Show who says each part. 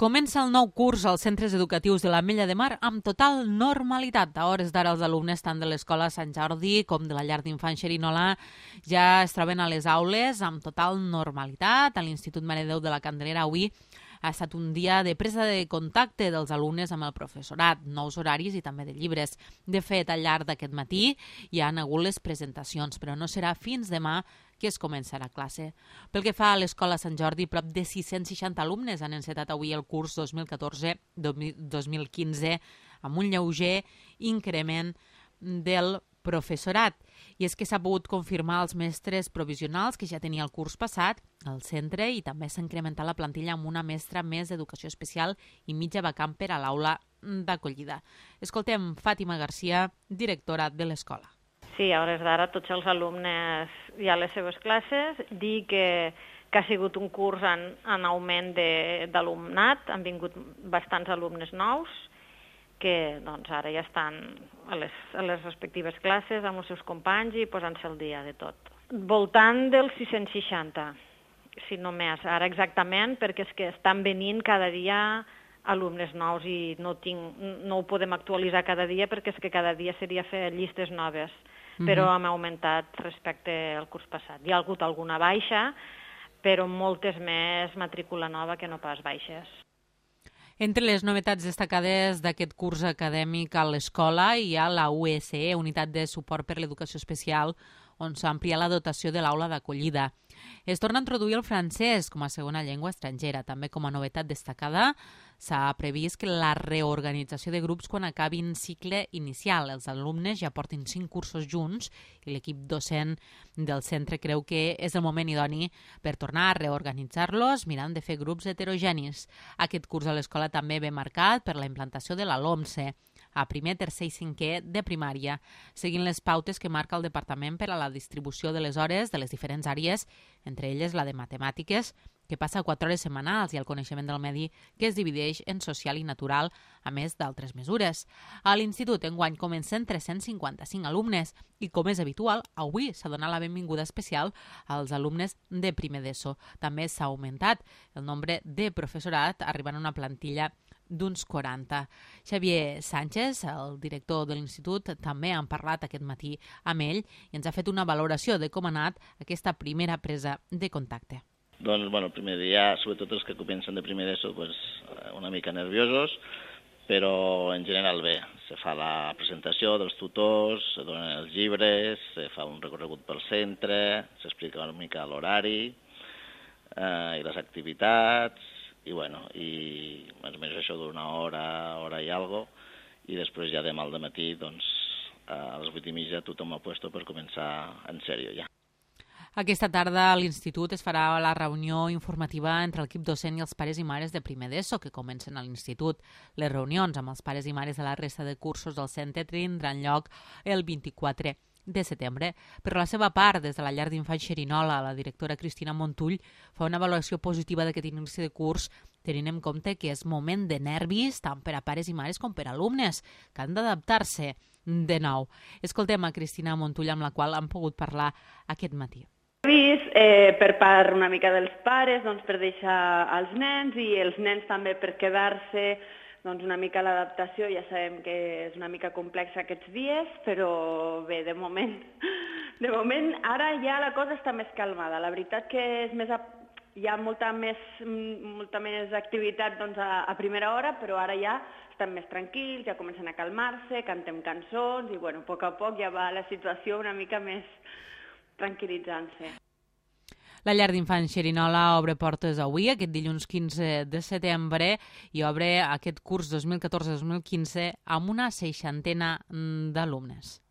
Speaker 1: Comença el nou curs als centres educatius de l'Ametlla de Mar amb total normalitat. A hores d'ara els alumnes tant de l'Escola Sant Jordi com de la llar d'infants Xerinola ja es troben a les aules amb total normalitat. A l'Institut Mare de Déu de la Candelera avui ha estat un dia de presa de contacte dels alumnes amb el professorat, nous horaris i també de llibres. De fet, al llarg d'aquest matí hi han hagut les presentacions, però no serà fins demà que es començarà classe. Pel que fa a l'Escola Sant Jordi, prop de 660 alumnes han encetat avui el curs 2014-2015 amb un lleuger increment del professorat. I és que s'ha pogut confirmar els mestres provisionals que ja tenia el curs passat al centre i també s'ha incrementat la plantilla amb una mestra més d'educació especial i mitja vacant per a l'aula d'acollida. Escoltem Fàtima Garcia, directora de l'escola.
Speaker 2: Sí, a hores d'ara tots els alumnes ja a les seves classes, dir que ha sigut un curs en augment d'alumnat, han vingut bastants alumnes nous, que doncs, ara ja estan a les respectives classes amb els seus companys i posant-se al dia de tot. Voltant dels 660, si no més, ara exactament, perquè és que estan venint cada dia alumnes nous i no ho podem actualitzar cada dia perquè és que cada dia seria fer llistes noves, però hem augmentat respecte al curs passat. Hi ha hagut alguna baixa, però moltes més matrícula nova que no pas baixes.
Speaker 1: Entre les novetats destacades d'aquest curs acadèmic a l'escola hi ha la USE, Unitat de Suport per l'Educació Especial, on s'ha ampliat la dotació de l'aula d'acollida. Es torna a introduir el francès com a segona llengua estrangera. També com a novetat destacada s'ha previst que la reorganització de grups quan acabin cicle inicial. Els alumnes ja portin 5 cursos junts i l'equip docent del centre creu que és el moment idoni per tornar a reorganitzar-los mirant de fer grups heterogenis. Aquest curs a l'escola també ve marcat per la implantació de la LOMSE a primer, tercer i cinquè de primària, seguint les pautes que marca el Departament per a la distribució de les hores de les diferents àrees, entre elles la de matemàtiques, que passa a 4 hores setmanals, i el coneixement del medi, que es divideix en social i natural, a més d'altres mesures. A l'institut enguany comencen 355 alumnes i, com és habitual, avui s'ha donat la benvinguda especial als alumnes de primer d'ESO. També s'ha augmentat el nombre de professorat, arribant a una plantilla d'uns 40. Xavier Sánchez, el director de l'institut, també han parlat aquest matí amb ell i ens ha fet una valoració de com ha anat aquesta primera presa de contacte.
Speaker 3: Doncs, el primer dia, sobretot els que comencen de primer d'ESO, una mica nerviosos, però en general bé. Se fa la presentació dels tutors, se donen els llibres, se fa un recorregut pel centre, s'explica una mica l'horari i les activitats, i més o menys això d'una hora i algo, i després ja demà al dematí, a les 8:30 tothom ha puesto per començar en sèrio ja.
Speaker 1: Aquesta tarda a l'Institut es farà la reunió informativa entre l'equip docent i els pares i mares de primer d'ESO que comencen a l'Institut. Les reunions amb els pares i mares de la resta de cursos del centre tindran lloc el 24 de setembre. Per la seva part, des de la llar d'infants Xerinola, la directora Cristina Montull fa una valoració positiva d'aquest inici de curs, tenint en compte que és moment de nervis tant per a pares i mares com per a alumnes, que han d'adaptar-se de nou. Escoltem a Cristina Montull, amb la qual hem pogut parlar aquest matí.
Speaker 4: Per part una mica dels pares, per deixar els nens i els nens també per quedar-se una mica l'adaptació. Ja sabem que és una mica complexa aquests dies, però bé, de moment ara ja la cosa està més calmada. La veritat que hi ha molta més activitat a primera hora, però ara ja estan més tranquils, ja comencen a calmar-se, cantem cançons i a poc a poc ja va la situació una mica més tranquil·litzant-se.
Speaker 1: La llar d'infants Xerinola obre portes avui, aquest dilluns 15 de setembre, i obre aquest curs 2014-2015 amb una 60 d'alumnes.